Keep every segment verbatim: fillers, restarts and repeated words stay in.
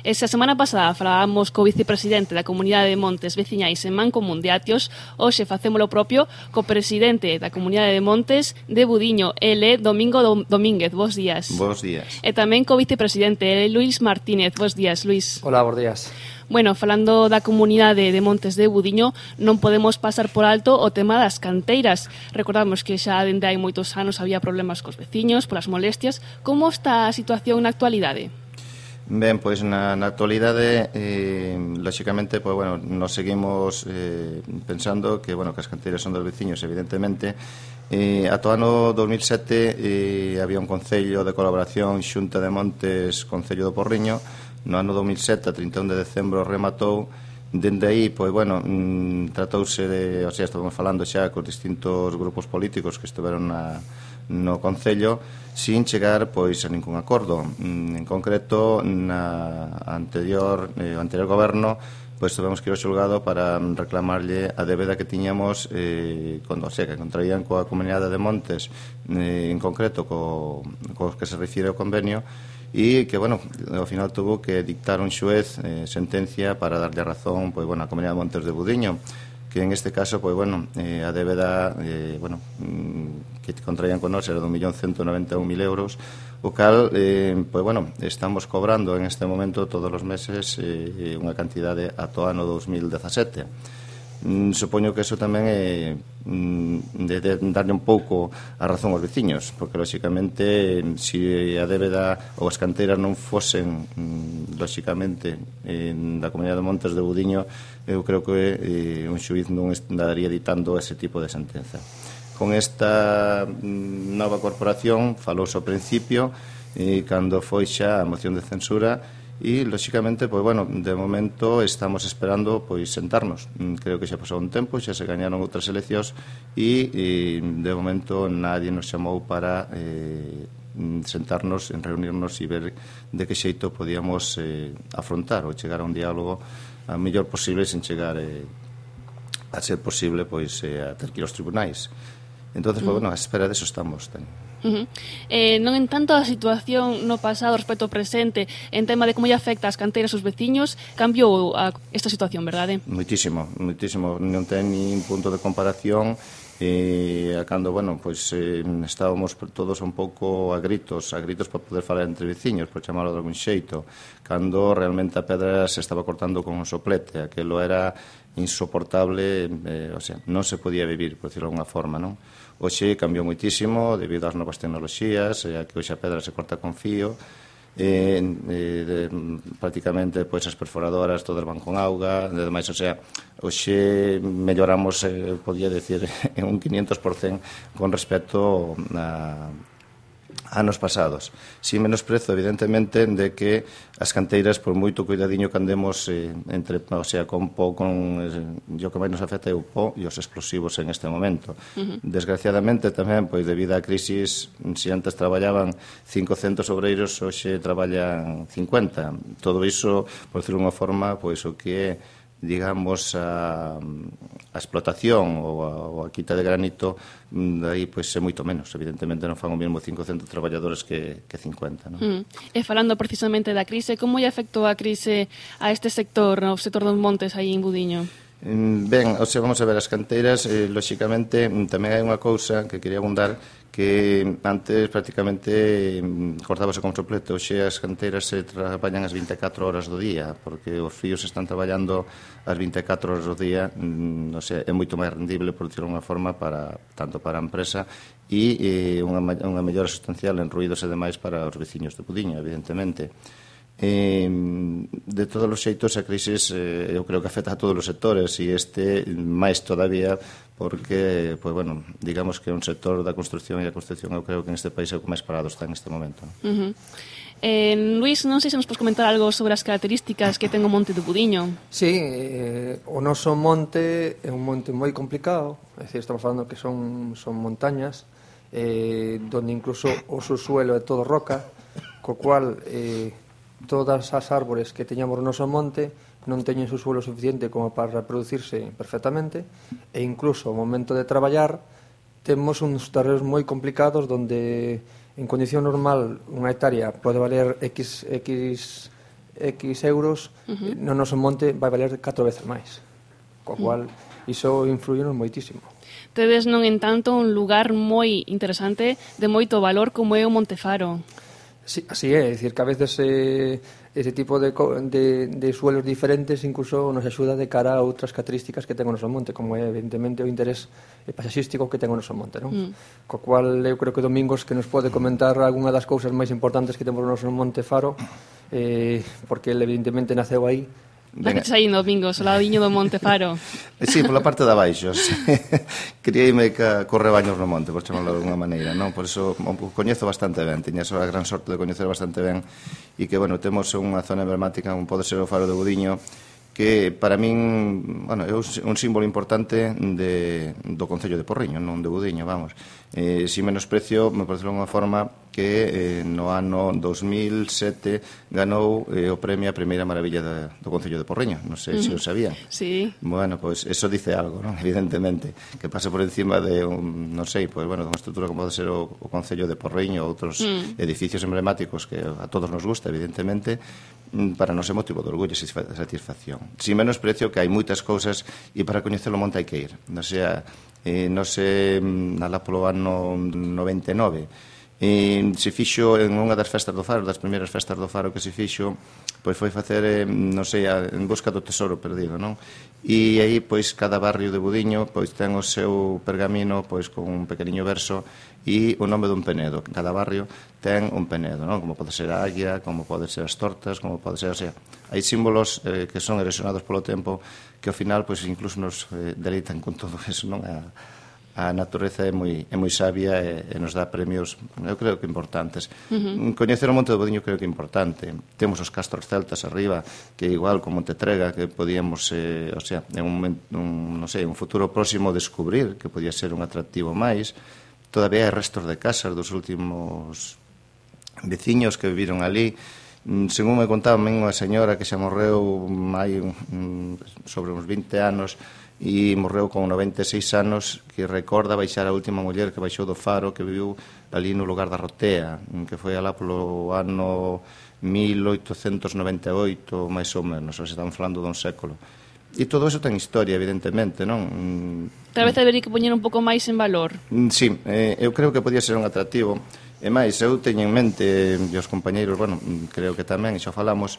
E se a semana pasada falábamos co vicepresidente da Comunidade de Montes Veciñais en Mancomún de Atios, hoxe facémolo propio co presidente da Comunidade de Montes de Budiño, ele Domingo Domínguez. Bos días. Bos días. E tamén co vicepresidente, ele Luís Martínez. Bos días, Luís. Hola, bos días. Bueno, falando da Comunidade de Montes de Budiño, non podemos pasar por alto o tema das canteiras. Recordamos que xa dende hai moitos anos había problemas cos veciños, polas molestias. Como está a situación na actualidade? Ben, pois na, na actualidade, eh, lóxicamente, pois, bueno, nos seguimos eh, pensando que, bueno, que as canteiras son dos veciños, evidentemente. Eh, ata o ano dos mil sete eh, había un concello de colaboración Xunta de Montes, Concello do Porriño. No ano dos mil sete, a trinta e un de decembro, rematou. Dende aí, pois, bueno, mmm, tratouse de, o sea, estamos falando xa cos distintos grupos políticos que estiveron na, no Concello, sin chegar, pois, a ningún acordo. Mm, en concreto, na anterior, eh, o anterior goberno, pois tivemos que ir ao xulgado para reclamarlle a débeda que tiñamos, eh, con, o sea, que contraían coa Comunidade de Montes, eh, en concreto, co, co que se refire ao convenio, e que, bueno, ao final tuvo que dictar un xuez eh, sentencia para darlle razón, pois, bueno, a Comunidade de Montes de Budiño, que en este caso, pois, bueno, eh, a débeda, eh, bueno, mm, que contraían con nós era de un millón ciento noventa e un mil euros, o cal, eh, pois, bueno, estamos cobrando en este momento todos os meses eh, unha cantidade ata o ano dos mil dezasete. Mm, supoño que eso tamén é mm, de, de darle un pouco a razón aos veciños, porque lóxicamente se si a débeda ou as canteiras non fosen mm, lóxicamente eh, da Comunidade de Montes de Budiño, eu creo que eh, un xuíz non estaría ditando ese tipo de sentenza. Con esta mm, nova corporación falouse ao principio e eh, cando foi xa a moción de censura. E, lóxicamente, pois, bueno, de momento estamos esperando, pois, sentarnos. Creo que xa pasou un tempo, xa se gañaron outras eleccións e, e de momento, nadie nos chamou para eh, sentarnos, en reunirnos e ver de que xeito podíamos eh, afrontar ou chegar a un diálogo a mellor posible sen chegar eh, a ser posible, pois, eh, a ter que ir aos tribunais. Entonces, pois, bueno, a espera deso estamos, ten. Uh-huh. Eh, non en tanto a situación no pasado respecto ao presente en tema de como lle afecta as canteiras aos veciños, cambiou a, esta situación, verdade? Moitísimo, moitísimo, non ten nin punto de comparación. E a cando, bueno, pois eh, estábamos todos un pouco a gritos, a gritos para poder falar entre veciños, por chamarlo de algún xeito, cando realmente a pedra se estaba cortando con un soplete, aquilo era insoportable, eh, o sea, non se podía vivir, por decirlo de alguna forma, non? Hoxe cambiou moitísimo debido ás novas tecnoloxías, eh, a que hoxe a pedra se corta con fío, eh, eh, de, prácticamente pois as perforadoras todas van con auga, e demais, o sea, hoxe melloramos, eh, podía decir, en un quinientos por cento con respecto a anos pasados. Si menosprezo, evidentemente, de que as canteiras, por moito cuidadiño que andemos eh, entre, o sea, con po, con eh, o que máis nos afecta é o po e os explosivos en este momento. Uh-huh. Desgraciadamente, tamén, pois, debido á crisis, se antes traballaban cincocentos obreiros, hoxe traballan cincuenta. Todo iso, por decirlo de unha forma, pois, o que é, digamos, a, a explotación ou a, ou a quita de granito, aí pois é moito menos. Evidentemente non fan o mesmo cincocentos traballadores que, que cincuenta, non? Mm. E falando precisamente da crise, como lle afectou a crise a este sector, ao sector dos montes aí en Budiño? Ben, o sea, vamos a ver, as canteiras, eh, lóxicamente, tamén hai unha cousa que quería abundar, que antes prácticamente cortábase con soplete. Hoxe as canteiras se traballan as vinte e catro horas do día, porque os fíos están traballando as vinte e catro horas do día, o sea, é moito máis rendible, por decirlo de unha forma, para, tanto para a empresa e eh, unha, unha mellora sustancial en ruídos e demais para os veciños de Budiño, evidentemente. Eh, de todos os xeitos, a crisis eh, eu creo que afecta a todos os sectores e este máis todavía porque, pues, bueno, digamos que é un sector da construcción e a construcción eu creo que neste país é o que máis parado está en este momento. Uh-huh. eh, Luís, non sei se nos podes comentar algo sobre as características que ten o monte de Budiño. Sí, eh, o noso monte é un monte moi complicado, é dicir, estamos falando que son, son montañas eh, donde incluso o subsuelo é todo roca, co cual eh, todas as árbores que teñamos no noso monte non teñen subsuelo suficiente como para reproducirse perfectamente e incluso ao momento de traballar temos uns terreos moi complicados donde en condición normal unha hectárea pode valer X, X X euros, uh-huh. no noso monte vai valer catro veces máis. Co cual, uh-huh. iso influye moitísimo. Tedes, non entanto, un lugar moi interesante de moito valor como é o Monte Faro. Sí, así é, é dicir que a veces eh, ese tipo de, de, de suelos diferentes incluso nos axuda de cara a outras características que ten o noso monte, como é evidentemente o interés paisaxístico que ten o noso monte, non? Mm. Co cual eu creo que Domingos que nos pode comentar algunha das cousas máis importantes que temos o noso Monte Faro, eh, porque ele evidentemente naceu aí. Estás aí, Domingos, o ladiño do Monte Faro. Sí, pola parte de abaixo. Criei-me co rebaños no monte, por chamarlo de alguna maneira, non? Por iso o coñezo bastante ben, tiña a gran sorte de coñecer bastante ben e que, bueno, temos unha zona emblemática como pode ser o Faro de Budiño, que para min, bueno, é un símbolo importante de, do Concello de Porriño, non de Budiño, vamos. Eh, si menosprecio, me parece unha forma que eh, no ano dos mil sete ganou eh, o premio a primeira maravilla de, do Concello de Porriño. Non sei uh-huh. se o sabían. Sí. Bueno, pois pues, eso dice algo, non? Evidentemente, que pasa por encima de un, non sei, pois, pues, bueno, unha estrutura como pode ser o, o Concello de Porriño, outros uh-huh. edificios emblemáticos que a todos nos gusta, evidentemente, para non ser motivo de orgullo e satisfacción. Si menosprecio que hai moitas cousas e para coñecer o monte hai que ir. Non sea, eh, non sei, alá polo ano noventa e nove, e se fixo en unha das festas do Faro, das primeiras festas do Faro que se fixo, pois foi facer, eh, non sei, a, en busca do tesoro perdido, non? E aí, pois, cada barrio de Budiño, pois, ten o seu pergamino, pois, con un pequeniño verso e o nome dun penedo. Cada barrio ten un penedo, non? Como pode ser a águia, como pode ser as tortas, como pode ser, o sea, hai símbolos eh, que son erosionados polo tempo que ao final, pois, incluso nos eh, deleitan con todo eso, non? A, a natureza é moi, é moi sabia e, e nos dá premios, eu creo que importantes. Uh-huh. Coñecer o Monte do Budiño creo que é importante. Temos os castros celtas arriba, que igual como Montetrega, que podíamos, eh, o sea, en un, un, non sei, un futuro próximo descubrir que podía ser un atractivo máis. Todavía hai restos de casas dos últimos veciños que viviron ali. Según me contaba unha señora que xa morreu hai sobre uns vinte anos, e morreu con noventa e seis anos, que recorda baixar a última muller que baixou do Faro, que viviu ali no lugar da Rotea, que foi alá polo ano mil oitocentos noventa e oito, máis ou menos, ou se estamos falando dun século. E todo eso ten historia, evidentemente, non? Tal vez habería que poñer un pouco máis en valor. Sí, eh, eu creo que podía ser un atractivo. E máis, eu teño en mente, e os compañeiros, bueno, creo que tamén, e xa falamos,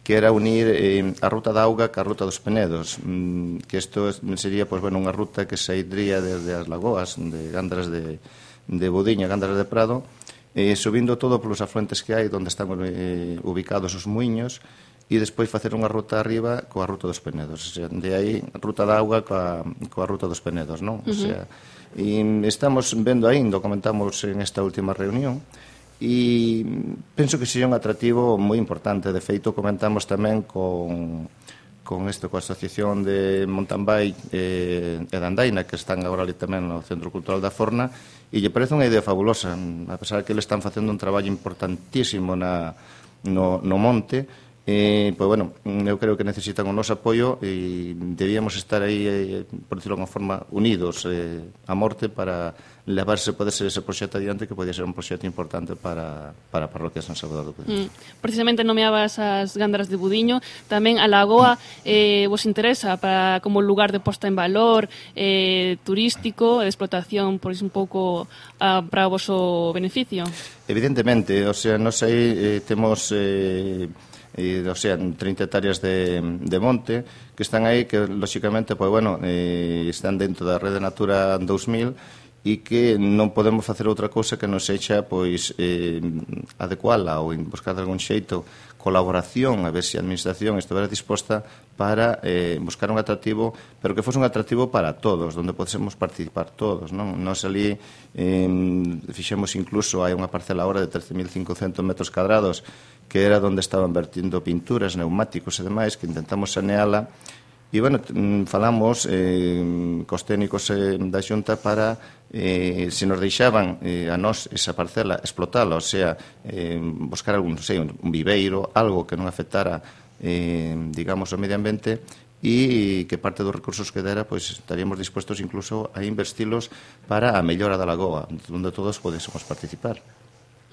que era unir eh, a ruta da auga ca ruta dos Penedos, mm, que isto sería, pues, bueno, unha ruta que saidría desde as lagoas de Gandras de, de Budiño, Gandras de Prado, eh, subindo todo polos afluentes que hai onde están eh, ubicados os muiños, e despois facer unha ruta arriba coa ruta dos Penedos, o sea, de aí ruta da auga coa, coa ruta dos Penedos, non? Uh-huh. O sea, e estamos vendo aí, comentamos en esta última reunión, e penso que sería un atractivo moi importante. De feito, comentamos tamén con, con isto, coa Asociación de Mountain Bike eh, e de Andaina, que están agora ali tamén no Centro Cultural da Forna, e lle parece unha idea fabulosa, a pesar que eles están facendo un traballo importantísimo na, no, no monte. Eh, pois, bueno, eu creo que necesitan o noso apoio e debíamos estar aí, eh, por decirlo de unha forma, unidos eh, a morte para levarse, pode ser ese proxecto adiante, que podía ser un proxecto importante para, para a parroquia San Salvador do Budiño. Mm. Precisamente nomeabas as Gandras de Budiño, tamén a lagoa eh, vos interesa para como lugar de posta en valor eh, turístico, de explotación, por iso un pouco ah, para o voso beneficio? Evidentemente, o sea, nos aí eh, temos... Eh, e, o sea, trinta hectáreas de, de monte que están aí, que lóxicamente, pois, bueno, eh, están dentro da Rede Natura dous mil e que non podemos facer outra cousa que non sexa, pois, eh, adecuala ou buscar de algún xeito colaboración, a ver se a administración estivera disposta para eh, buscar un atractivo, pero que fose un atractivo para todos, onde podésemos participar todos, non? Nos ali eh, fixemos incluso, hai unha parcela agora de trece mil cincocentos metros cadrados, que era onde estaban vertindo pinturas, neumáticos e demais, que intentamos saneala. E, bueno, falamos eh, cos técnicos eh, da Xunta para, eh, se nos deixaban eh, a nós esa parcela, explotala, o sea, eh, buscar algún, non sei, un viveiro, algo que non afectara, eh, digamos, o medio ambiente, e que parte dos recursos que dera, pois, estaríamos dispuestos incluso a investilos para a mellora da lagoa, onde todos podésemos participar.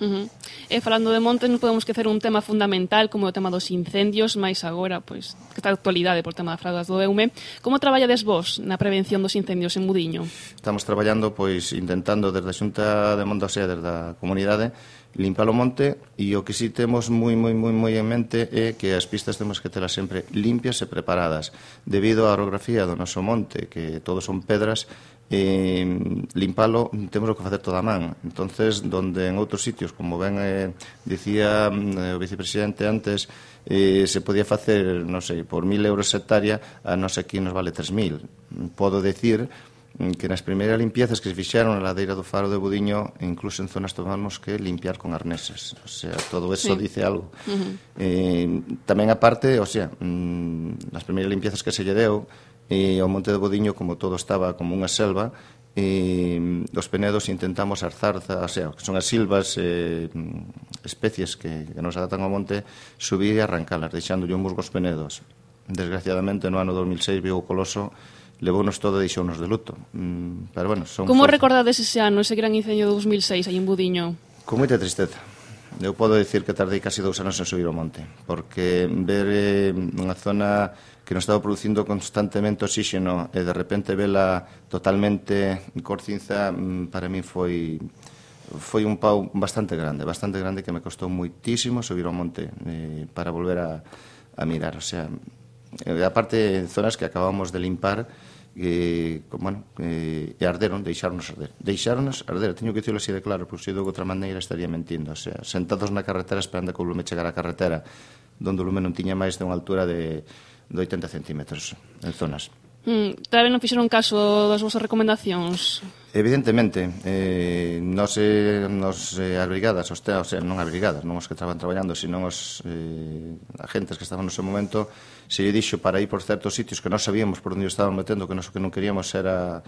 Uh -huh. E falando de montes, non podemos esquecer un tema fundamental como o tema dos incendios, máis agora, pois, que está a actualidade por tema das fraudas do Eume. Como traballades vos na prevención dos incendios en Budiño? Estamos traballando, pois, intentando desde a Xunta de Monte, o sea, desde a comunidade, limpar o monte, e o que si temos moi, moi, moi, moi en mente é que as pistas temos que telas sempre limpias e preparadas, debido á orografía do noso monte, que todos son pedras. E limpalo temos que facer toda a man. Entonces, donde en outros sitios, como ben eh, dicía eh, o vicepresidente antes, eh, se podía facer, non sei, por mil euros hectárea, a nos aquí nos vale tres mil. Podo decir que nas primeiras limpiezas que se fixeron na ladeira do Faro de Budiño, incluso en zonas tomamos que limpiar con arneses. O sea, todo eso sí. Dice algo. Uh-huh. eh, tamén aparte, o sea, nas primeiras limpiezas que se lle deu, e ao Monte de Budiño, como todo estaba como unha selva, e os penedos intentamos as zarzas, o sea, que son as silvas, eh, especies que, que nos adaptan ao monte, subir e arrancalas, deixándolle un musgo aos penedos. Desgraciadamente, no ano dos mil seis, viu o Coloso, levounos todo e deixounos de luto. Mm, pero bueno, son Como fuerzas. Recordades ese ano, ese gran incendio de dos mil seis aí en Budiño? Con moita tristeza. Eu podo dicir que tardei casi dous anos en subir ao monte, porque ver eh, unha zona que nos estaba producindo constantemente oxígeno e de repente vela totalmente corcinza, para mí foi foi un pau bastante grande, bastante grande, que me costou moitísimo subir ao monte eh, para volver a, a mirar. O sea, eh, aparte, zonas que acabamos de limpar, e, bueno, e, e arderon, deixáronos arder. Deixáronos arder, teño que dicirlo así de claro, porque se de outra maneira estaría mentindo. O sea, sentados na carretera esperando que o lume chegara á carretera, donde o lume non tiña máis de unha altura de, de oitenta centímetros en zonas. Mm, Tal vez non fixeron caso das vosas recomendacións? Evidentemente, eh, nos, eh, nos eh, as brigadas, os, o sea, non as brigadas, non os que estaban traballando, sino os eh, agentes que estaban no seu momento, se lle dixo para ir por certos sitios que non sabíamos por onde estaban metendo, que nos que non queríamos era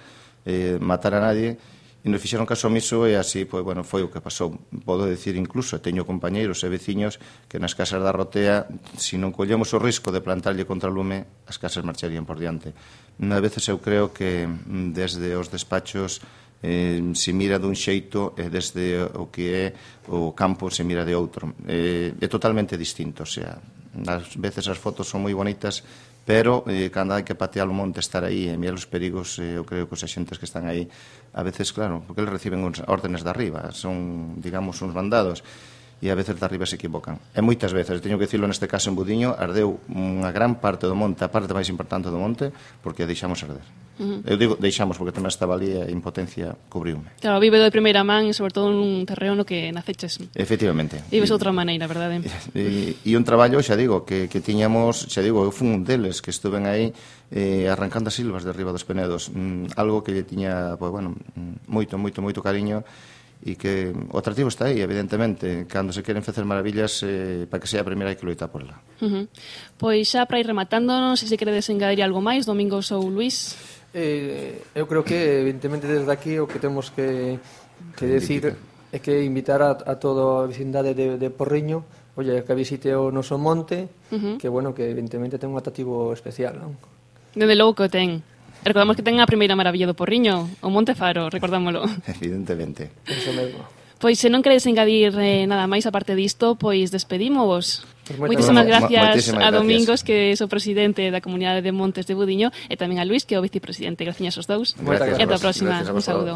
eh, matar a nadie, e nos fixeron caso omiso, e así, pois, bueno, foi o que pasou. Podo decir incluso, teño compañeiros e veciños que nas casas da Rotea, se non collemos o risco de plantarlle contra o lume, as casas marcharían por diante. Unha veces eu creo que desde os despachos eh, se mira dun xeito e desde o que é o campo se mira de outro. Eh, é totalmente distinto, o sea, ás veces as fotos son moi bonitas, pero eh, cando hai que patear o monte, estar aí e mirar os perigos, eh, eu creo que os axentes que están aí, a veces, claro, porque eles reciben uns órdenes de arriba, son, digamos, uns mandados, e a veces de arriba se equivocan. E moitas veces, teño que dicirlo neste caso en Budiño, ardeu unha gran parte do monte, a parte máis importante do monte, porque deixamos arder. Uh -huh. Eu digo deixamos porque tamén estaba ali e a impotencia cubriume. Claro, vive de primeira man e sobre todo nun terreo no que naceches. Efectivamente. Vives de outra maneira, verdade? E, e un traballo, xa digo, que, que tiñamos, xa digo, eu fui un deles que estuven aí eh, arrancando as silvas de arriba dos penedos, mm, algo que lle tiña, pues, bueno, moito, moito, moito cariño, e que o atractivo está aí, evidentemente. Cando se queren facer maravillas, eh, para que sea a primeira hai que loitar por ela. Uh -huh. Pois xa para ir rematando, non sei se queredes engadir algo máis, Domingos ou Luís. Eh, eu creo que, evidentemente, desde aquí o que temos que, que decir é que invitar a, a toda a vecindade de, de Porriño, oye, que visite o noso monte, uh -huh. que, bueno, que evidentemente ten un atractivo especial, non? Dende logo que o ten. Recordamos que ten a primeira maravilla do Porriño, o Monte Faro, recordámolo. Evidentemente. Eso mesmo. Pois se non queredes engadir eh, nada máis aparte disto, pois despedímovos. Pues moitísimas gracias moitísimas a gracias. Domingos, que é o presidente da Comunidade de Montes de Budiño, e tamén a Luís, que é o vicepresidente. Gracias aos dous. Gracias, e ata a próxima. gracias a Un saúdo.